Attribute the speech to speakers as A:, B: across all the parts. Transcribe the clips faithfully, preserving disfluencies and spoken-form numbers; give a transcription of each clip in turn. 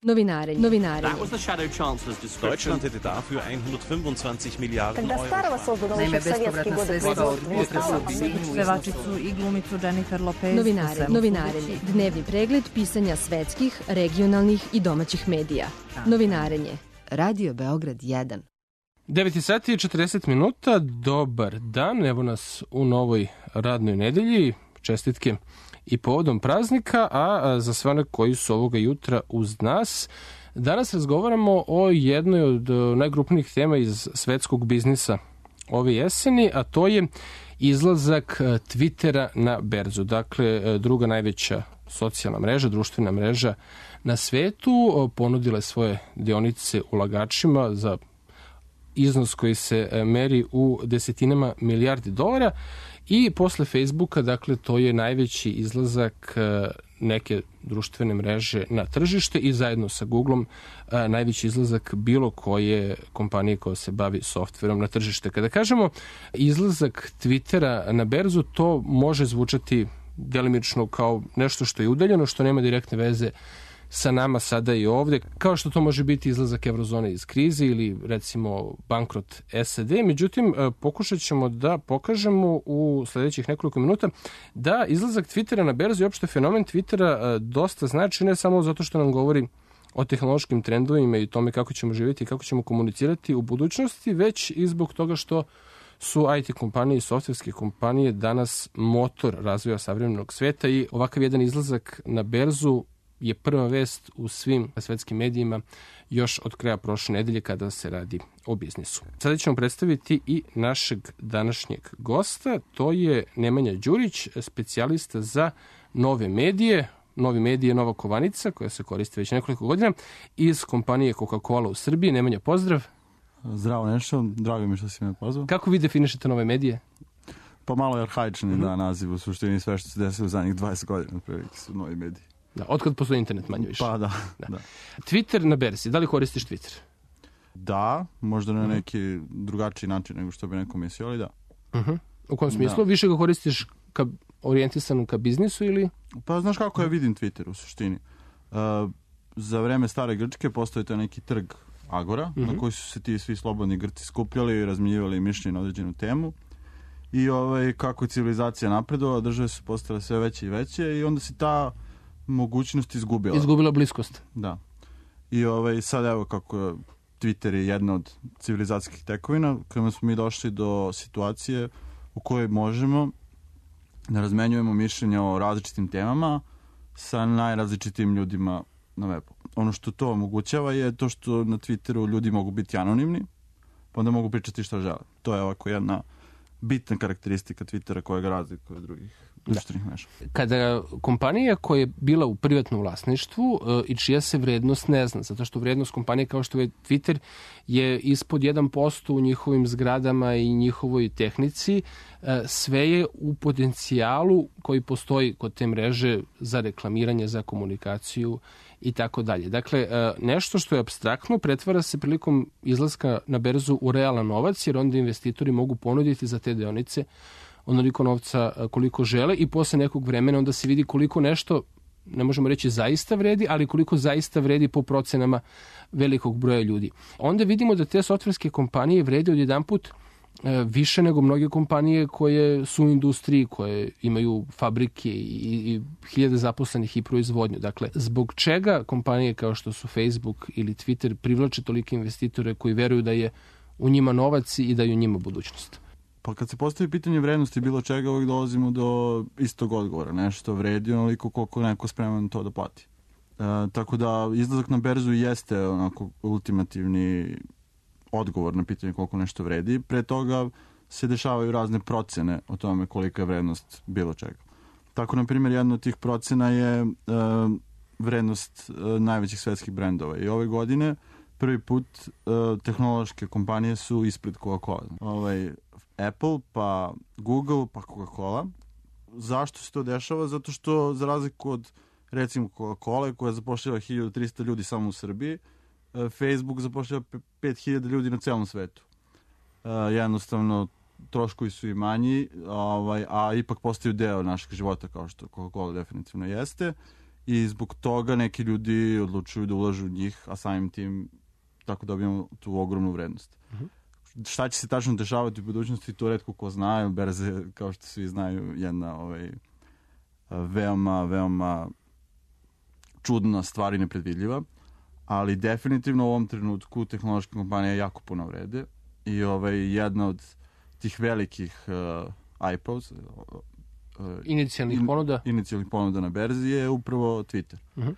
A: Novinarenje. Novinarenje.
B: Deutschland hätte dafür hundertfünfundzwanzig Milliarden Euro.
C: Naime, bespovratna sredstva od
D: pevačicu i glumicu Jennifer Lopez.
A: Novinarenje. Novinarenje. Dnevni pregled pisanja svetskih, regionalnih i domaćih medija. Novinarenje. Radio Beograd jedan.
E: devet sati i četrdeset minuta, dobar dan, evo nas u novoj radnoj nedelji, čestitke i povodom praznika, a za sve one koji su ovoga jutra uz nas, danas razgovaramo o jednoj od najgrupnijih tema iz svetskog biznisa ove jeseni, a to je izlazak Twittera na berzu, dakle druga najveća socijalna mreža, društvena mreža na svetu, ponudila je svoje dionice ulagačima za iznos koji se meri u desetinama milijardi dolara i posle Facebooka, dakle, to je najveći izlazak neke društvene mreže na tržište i zajedno sa Googlom najveći izlazak bilo koje kompanije koja se bavi softverom na tržište. Kada kažemo izlazak Twittera na berzu, to može zvučati delimično kao nešto što je udaljeno, što nema direktne veze sa nama sada i ovde, kao što to može biti izlazak eurozone iz krize ili recimo bankrot S A D. Međutim, pokušat ćemo da pokažemo u sledećih nekoliko minuta da izlazak Twittera na berzu i opšte fenomen Twittera dosta znači, ne samo zato što nam govori o tehnološkim trendovima i tome kako ćemo živjeti i kako ćemo komunicirati u budućnosti, već i zbog toga što su I T kompanije i softverske kompanije danas motor razvoja savremenog sveta i ovakav jedan izlazak na berzu je prva vest u svim svetskim medijima još od kraja prošle nedelje kada se radi o biznisu. Sada ćemo predstaviti i našeg današnjeg gosta, to je Nemanja Đurić, specijalista za nove medije. Novi medije je nova kovanica koja se koristi već nekoliko godina iz kompanije Coca-Cola u Srbiji. Nemanja, pozdrav.
F: Zdravo Nešo, drago mi što si me pozvao.
E: Kako vi definišete nove medije?
F: Pa malo je arhaični mm-hmm. da naziv, u suštini sve što se desilo u zadnjih dvadeset godina prilike su novi mediji.
E: Da, otkad postoji internet manje više.
F: Pa da,
E: da.
F: da.
E: Twitter na berzi, da li koristiš Twitter?
F: Da, možda na neki drugačiji način nego što bi neko mislio, ali da.
E: Uh-huh. U kom smislu?
F: Da.
E: Više ga koristiš ka, orijentisanu ka biznisu ili?
F: Pa znaš kako ja vidim Twitter u suštini. Uh, za vreme stare Grčke postoji to neki trg Agora, uh-huh. na koji su se ti svi slobodni Grci skupljali i razmenjivali mišljenje na određenu temu. I ovaj, kako je civilizacija napredovala, države su postale sve veće i veće i onda se ta mogućnost izgubila.
E: Izgubila bliskost.
F: Da. I ovaj, sad evo kako Twitter je jedna od civilizacijskih tekovina, kada smo mi došli do situacije u kojoj možemo da razmenjujemo mišljenja o različitim temama sa najrazličitim ljudima na webu. Ono što to omogućava je to što na Twitteru ljudi mogu biti anonimni, pa onda mogu pričati što žele. To je ovako jedna bitna karakteristika Twittera koja ga razlikuje od drugih društvenih mreža.
E: Kada kompanija koja je bila u privatnom vlasništvu i čija se vrednost ne zna, zato što vrednost kompanije kao što je Twitter je ispod jedan posto u njihovim zgradama i njihovoj tehnici, sve je u potencijalu koji postoji kod te mreže za reklamiranje, za komunikaciju i tako dalje. Dakle, nešto što je apstraktno pretvara se prilikom izlaska na berzu u realan novac, jer onda investitori mogu ponuditi za te deonice onoliko novca koliko žele i posle nekog vremena onda se vidi koliko nešto, ne možemo reći zaista vredi, ali koliko zaista vredi po procenama velikog broja ljudi. Onda vidimo da te softverske kompanije vrede odjedanput više nego mnoge kompanije koje su u industriji, koje imaju fabrike i, i hiljade zaposlenih i proizvodnju. Dakle, zbog čega kompanije kao što su Facebook ili Twitter privlače tolike investitore koji veruju da je u njima novac i da je u njima budućnost?
F: Pa kad se postavi pitanje vrednosti bilo čega, uvijek dolazimo do istog odgovora. Nešto vredi onoliko koliko neko spreman to da plati. E, tako da izlazak na berzu jeste onako ultimativni odgovor na pitanje koliko nešto vredi. Pre toga se dešavaju razne procene o tome kolika je vrednost bilo čega. Tako, na primjer, jedna od tih procena je e, vrednost e, najvećih svetskih brendova. I ove godine prvi put e, tehnološke kompanije su ispred Coca-Cola. Ovaj, Apple, pa Google, pa Coca-Cola. Zašto se to dešava? Zato što, za razliku od, recimo, Coca-Cola, koja zapošljava hiljadu trista ljudi samo u Srbiji, Facebook zapošljava pet hiljada ljudi na celom svetu. Uh, jednostavno, troškovi su i manji, ovaj, a ipak postaju deo našeg života, kao što Coca-Cola definitivno jeste. i zbog toga neki ljudi odlučuju da ulažu u njih, a samim tim tako dobijamo tu ogromnu vrednost. Uh-huh. Šta će se tačno dešavati u budućnosti, to retko ko zna, berze, kao što svi znaju, jedna ovaj, veoma, veoma čudna stvar i nepredvidljiva, ali definitivno u ovom trenutku tehnološke kompanije jako puno vrede i ovaj, jedna od tih velikih uh, I P Os, uh,
E: inicijalnih in, ponuda
F: inicijalnih ponuda na berzi je upravo Twitter.
E: Uh-huh.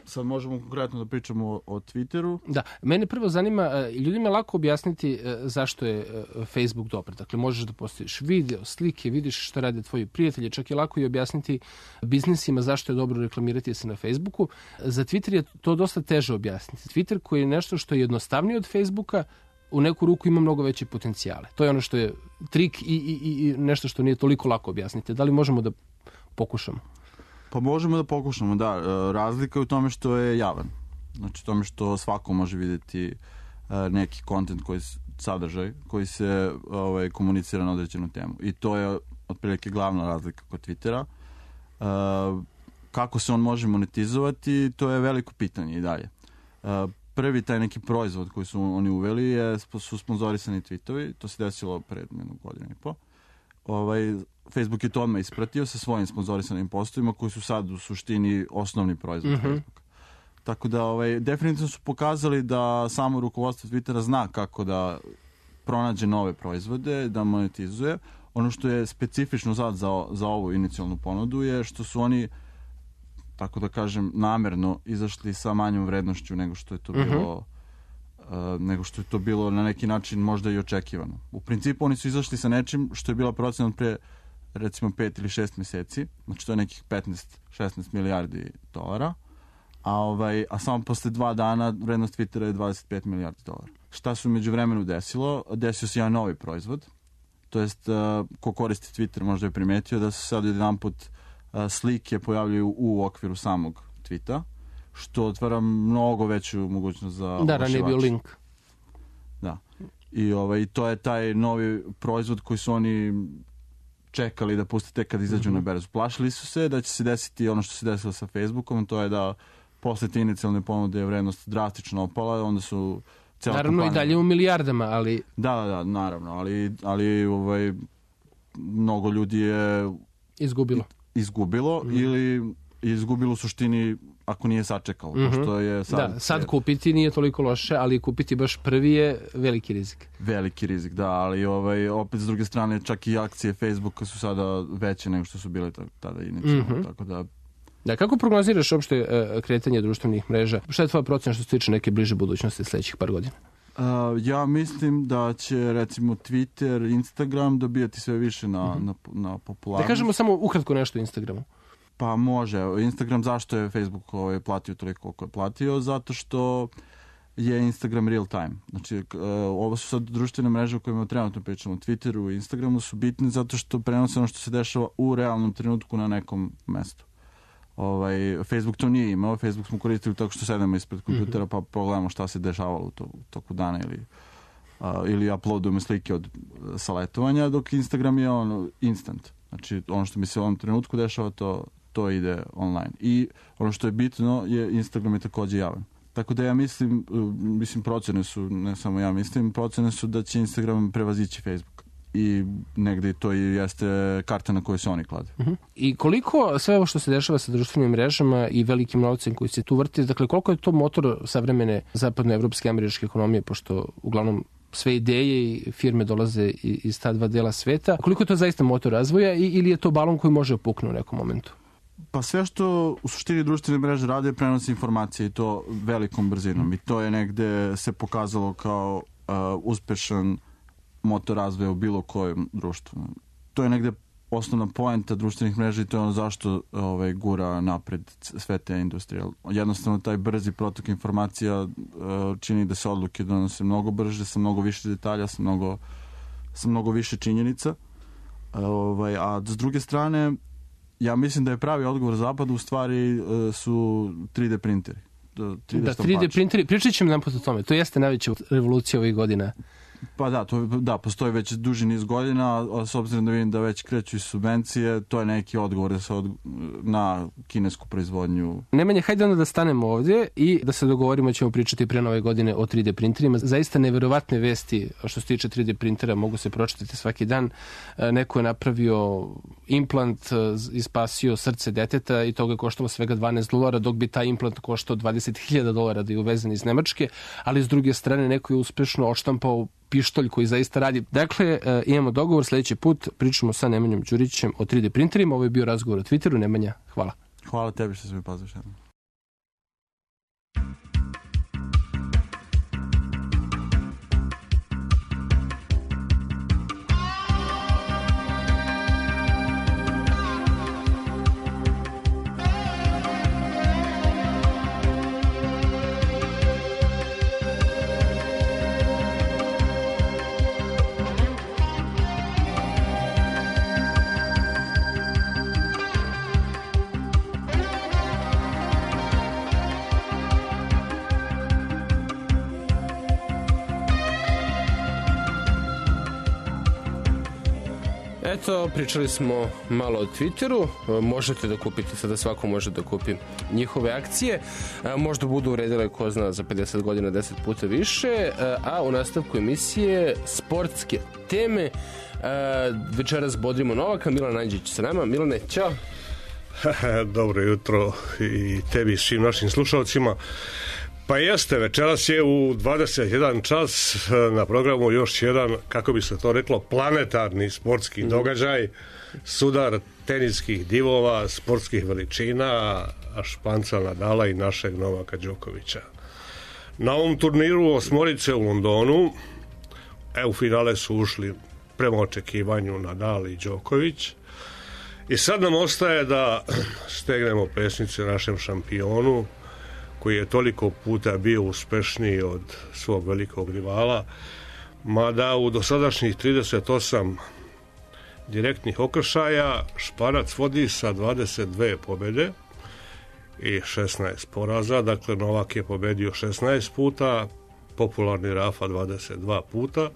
F: Sad možemo konkretno da pričamo o, o Twitteru.
E: Da, mene prvo zanima, ljudima je lako objasniti zašto je Facebook dobar. Dakle, možeš da postaviš video, slike, vidiš šta rade tvoji prijatelji, čak je lako i objasniti biznisima zašto je dobro reklamirati se na Facebooku. Za Twitter je to dosta teže objasniti. Twitter koji je nešto što je jednostavnije od Facebooka, u neku ruku ima mnogo veće potencijale. To je ono što je trik i, i, i nešto što nije toliko lako objasniti. Da li možemo da pokušamo?
F: Pa možemo da pokušamo, da. Razlika je u tome što je javan. Znači, u tome što svako može vidjeti neki kontent, koji sadržaj, koji se ovaj, komunicira na određenu temu. I to je otprilike glavna razlika kod Twittera. Kako se on može monetizovati, to je veliko pitanje i dalje. Prvi taj neki proizvod koji su oni uveli je, su sponzorisani tweetovi. To se desilo pred jednu godinu i po. Ovaj, Facebook je to odmah ispratio sa svojim sponzorisanim postovima koji su sad u suštini osnovni proizvod mm-hmm. Facebooka. Tako da ovaj, definitivno su pokazali da samo rukovodstvo Twittera zna kako da pronađe nove proizvode, da monetizuje. Ono što je specifično sad za, za ovu inicijalnu ponudu je što su oni, tako da kažem, namerno izašli sa manjom vrednošću nego što je to mm-hmm. bilo Uh, nego što je to bilo na neki način možda i očekivano. U principu oni su izašli sa nečim što je bila procena pre recimo pet ili šest meseci, znači to je nekih petnaest šesnaest milijardi dolara, a, ovaj, a samo posle dva dana vrednost Twittera je dvadeset pet milijardi dolara. Šta se u međuvremenu desilo? Desio se jedan novi proizvod, to jest uh, ko koristi Twitter možda je primetio da se sad jedan put uh, slike pojavljaju u okviru samog tweeta, što otvara mnogo veću mogućnost za
E: oglašivača. Da, ranije bio link.
F: Da. I ovaj, to je taj novi proizvod koji su oni čekali da puste tek kad izađu mm-hmm. na berzu. Plašili su se da će se desiti ono što se desilo sa Facebookom, to je da posle te inicijalne ponude je vrednost drastično opala, onda su cijela
E: naravno kompanija... i dalje u milijardama, ali...
F: Da, da, da, naravno, ali, ali ovaj, mnogo ljudi je...
E: Izgubilo.
F: Izgubilo mm-hmm. ili izgubilo u suštini ako nije sačekalo. Mm-hmm. Pošto je sad,
E: da, sad kupiti nije toliko loše, ali kupiti baš prvi je veliki rizik.
F: Veliki rizik, da, ali ovaj, opet s druge strane čak i akcije Facebooka su sada veće nego što su bile tada inicijalno. Mm-hmm. Tako da...
E: Da, kako prognoziraš uopšte uh, kretanje društvenih mreža? Šta je tvoja procena što se tiče neke bliže budućnosti sljedećih par godina?
F: Uh, ja mislim da će recimo Twitter, Instagram dobijati sve više na, mm-hmm. na, na popularnost.
E: Da kažemo samo ukratko nešto o Instagramu.
F: Pa može. Instagram, zašto je Facebook ovaj, platio toliko koliko je platio? Zato što je Instagram real time. Znači, ovo su sad društvene mreže o kojima trenutno pričamo. Twitteru i Instagramu su bitni zato što prenose ono što se dešava u realnom trenutku na nekom mestu. Ovaj, Facebook to nije imao. Facebook smo koristili tako što sedemo ispred kompjutera mm-hmm. pa pogledamo šta se dešavalo u, to, u toku dana ili, a, ili uploadujemo slike od sa letovanja, dok Instagram je on instant. Znači, ono što mi se u ovom trenutku dešava, to to ide online. I ono što je bitno je Instagram je također javan. Tako da ja mislim, mislim procene su, ne samo ja mislim, procene su da će Instagram prevazići Facebook. I negdje to i jeste karta na kojoj se oni klade.
E: Uh-huh. I koliko sve ovo što se dešava sa društvenim mrežama i velikim novcem koji se tu vrti, dakle koliko je to motor savremene zapadnoevropske američke ekonomije, pošto uglavnom sve ideje i firme dolaze iz ta dva dela sveta, koliko je to zaista motor razvoja ili je to balon koji može opuknuti u nekom momentu?
F: Pa sve što u suštini društvene mreže rade prenosi informacije i to velikom brzinom. I to je negde se pokazalo kao uh, uspešan motor razvoja u bilo kojem društvu. To je negde osnovna poenta društvenih mreža i to je ono zašto ovaj, gura napred sve te industrije. Jednostavno taj brzi protok informacija uh, čini da se odluke donose mnogo brže, sa mnogo više detalja, sa mnogo, sa mnogo više činjenica. Uh, ovaj, a s druge strane ja mislim da je pravi odgovor zapadu u stvari uh, su tri D printeri. tri D
E: da, tri D printeri, pričat ćemo nam po tome. To jeste najveća revolucija ovih godina
F: Pa da, to, da, postoji već duži niz godina, a s obzirom da vidim da već kreću i subvencije, to je neki odgovor da se od, na kinesku proizvodnju.
E: Nemanje, hajde onda da stanemo ovdje i da se dogovorimo, ćemo pričati pre nove godine o tri D printerima. Zaista neverovatne vesti što se tiče tri D printera mogu se pročitati svaki dan. Neko je napravio implant i spasio srce deteta i toga je koštalo svega dvanaest dolara, dok bi taj implant koštao dvadeset hiljada dolara da je uvezen iz Nemačke, ali s druge strane neko je uspešno odštampao pištolj koji zaista radi. Dakle, imamo dogovor, sljedeći put pričamo sa Nemanjom Đurićem o tri D printerima. Ovo je bio razgovor o Twitteru. Nemanja, hvala.
F: Hvala tebi što si mi pozvao.
E: Eto, pričali smo malo o Twitteru, možete da kupite, sada svako može da kupi njihove akcije, možda budu uredile, ko zna, za pedeset godina deset puta više, a u nastavku emisije sportske teme. Večeras bodrimo Novaka, Milan Anđić sa nama. Milane, ćao.
G: Dobro jutro i tebi i svim našim slušalcima. Pa jeste, večeras je u dvadeset jedan čas na programu još jedan, kako bi se to reklo, planetarni sportski mm. događaj, sudar teniskih divova, sportskih veličina, Španca Nadala i našeg Novaka Đokovića. Na ovom turniru osmorice u Londonu, e, u finale su ušli prema očekivanju Nadal i Đoković. I sad nam ostaje da stegnemo pesnice našem šampionu, koji je toliko puta bio uspešniji od svog velikog rivala, mada u dosadašnjih trideset osam direktnih okršaja Španac vodi sa dvadeset dve pobjede i šesnaest poraza. Dakle, Novak je pobedio šesnaest puta, popularni Rafa dvadeset dva puta.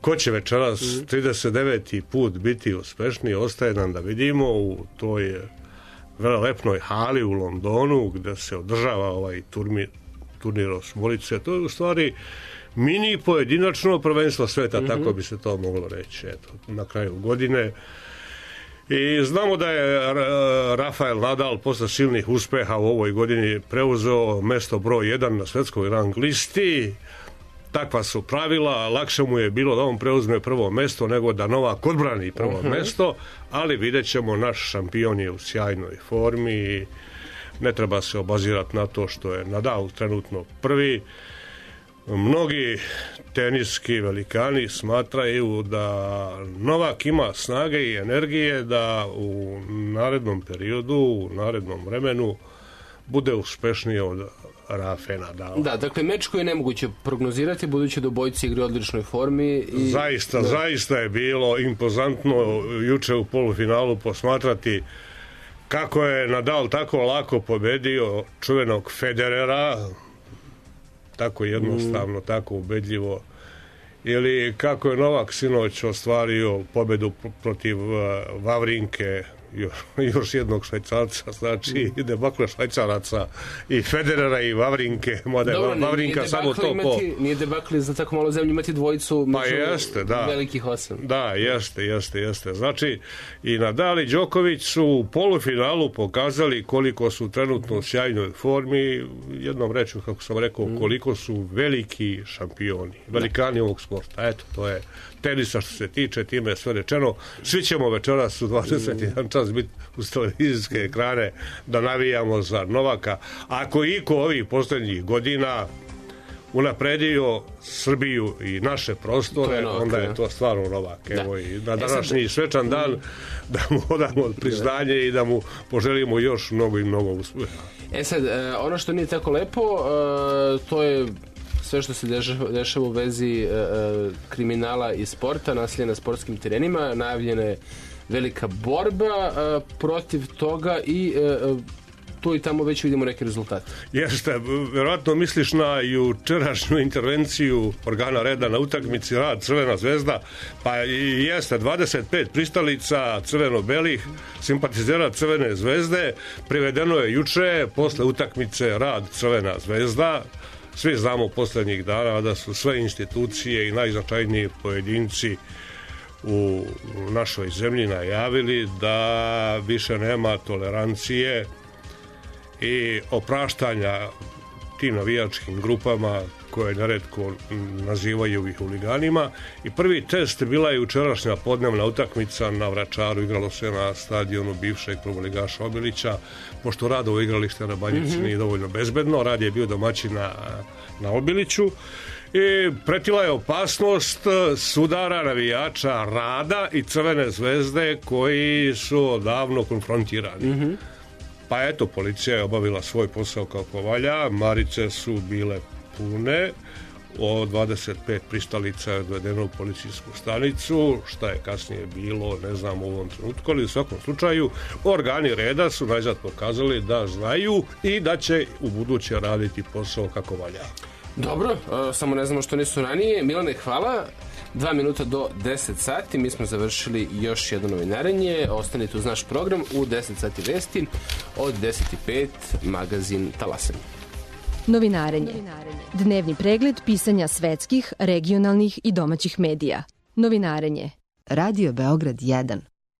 G: Ko će večeras trideset deveti put biti uspešniji, ostaje nam da vidimo u toj velelepnoj hali u Londonu gdje se održava ovaj turnir, turnir osmorice. To je u stvari mini pojedinačno prvenstvo sveta, mm-hmm. tako bi se to moglo reći, eto, na kraju godine. I znamo da je Rafael Nadal posle silnih uspeha u ovoj godini preuzeo mesto broj jedan na svetskoj rang listi. Takva su pravila, lakše mu je bilo da on preuzme prvo mesto nego da Novak odbrani prvo uh-huh. mesto, ali vidjet ćemo, naš šampion je u sjajnoj formi i ne treba se obazirati na to što je Nadal trenutno prvi. Mnogi teniski velikani smatraju da Novak ima snage i energije da u narednom periodu, u narednom vremenu bude uspešniji od Rafe Nadala.
E: Da, dakle, meč koji je nemoguće prognozirati, budući da obojci igre u odličnoj formi. I...
G: Zaista, da. zaista je bilo impozantno juče u polufinalu posmatrati kako je Nadal tako lako pobedio čuvenog Federera, tako jednostavno, mm. tako ubedljivo, ili kako je Novak sinoć ostvario pobedu protiv Vavrinke, još, još jednog Švajcarca, znači mm. debakle Švajcaraca i Federera i Vavrinke, mada je Vavrinka samo to
E: imati, po... Nije debakli za tako malo zemlje imati dvojicu među
G: pa jeste, da.
E: velikih osam.
G: Da, jeste, jeste, jeste. Znači, i Nadal i Đoković su u polufinalu pokazali koliko su trenutno u sjajnoj formi, jednom rečju, kako sam rekao, mm. koliko su veliki šampioni, velikani da. ovog sporta. Eto, to je tenisa što se tiče, time je sve rečeno. Svi ćemo večeras u dvadeset jedan čas biti uz televizijske ekrane da navijamo za Novaka. Ako iko ovih posljednjih godina unapredio Srbiju i naše prostore, je Novak, onda je to stvarno Novak. Evo, i na današnji svečan dan da mu odamo priznanje i da mu poželimo još mnogo i mnogo uspjeha.
E: E sad, ono što nije tako lepo, to je sve što se dešava u vezi kriminala i sporta, nasilja na sportskim terenima. Najavljena je velika borba protiv toga i tu i tamo već vidimo neke rezultate.
G: Jeste, verovatno misliš na jučerašnju intervenciju organa reda na utakmici Rad Crvena zvezda, pa i jeste dvadeset pet pristalica crveno-belih simpatizera Crvene zvezde privedeno je juče posle utakmice Rad Crvena zvezda. Svi znamo poslednjih dana da su sve institucije i najznačajniji pojedinci u našoj zemlji najavili da više nema tolerancije i opraštanja tim navijačkim grupama koje neretko nazivaju ih huliganima. I prvi test bila je jučerašnja podnevna utakmica na Vračaru, igralo se na stadionu bivšeg prvoligaša Obilića, pošto Radovo igralište na Banjici mm-hmm. nije dovoljno bezbedno, Rad je bio domaćin na, na Obiliću i pretila je opasnost sudara navijača Rada i Crvene zvezde koji su odavno konfrontirani. Mm-hmm. Pa eto, policija je obavila svoj posao kako valja, marice su bile pune, o dvadeset pet pristalica je odvedeno u policijsku stanicu, šta je kasnije bilo, ne znam u ovom trenutku, ali u svakom slučaju organi reda su najzad pokazali da znaju i da će u buduće raditi posao kako valja.
E: Dobro, samo ne znamo što nisu ranije. Milane, hvala. Dva minuta do deset sati, mi smo završili još jedno novinarenje. Ostanite uz naš program u deset sati vesti, od deset i pet magazin Talasen.
A: Novinarenje. Dnevni pregled pisanja svetskih, regionalnih i domaćih medija. Novinarenje. Radio Beograd jedan.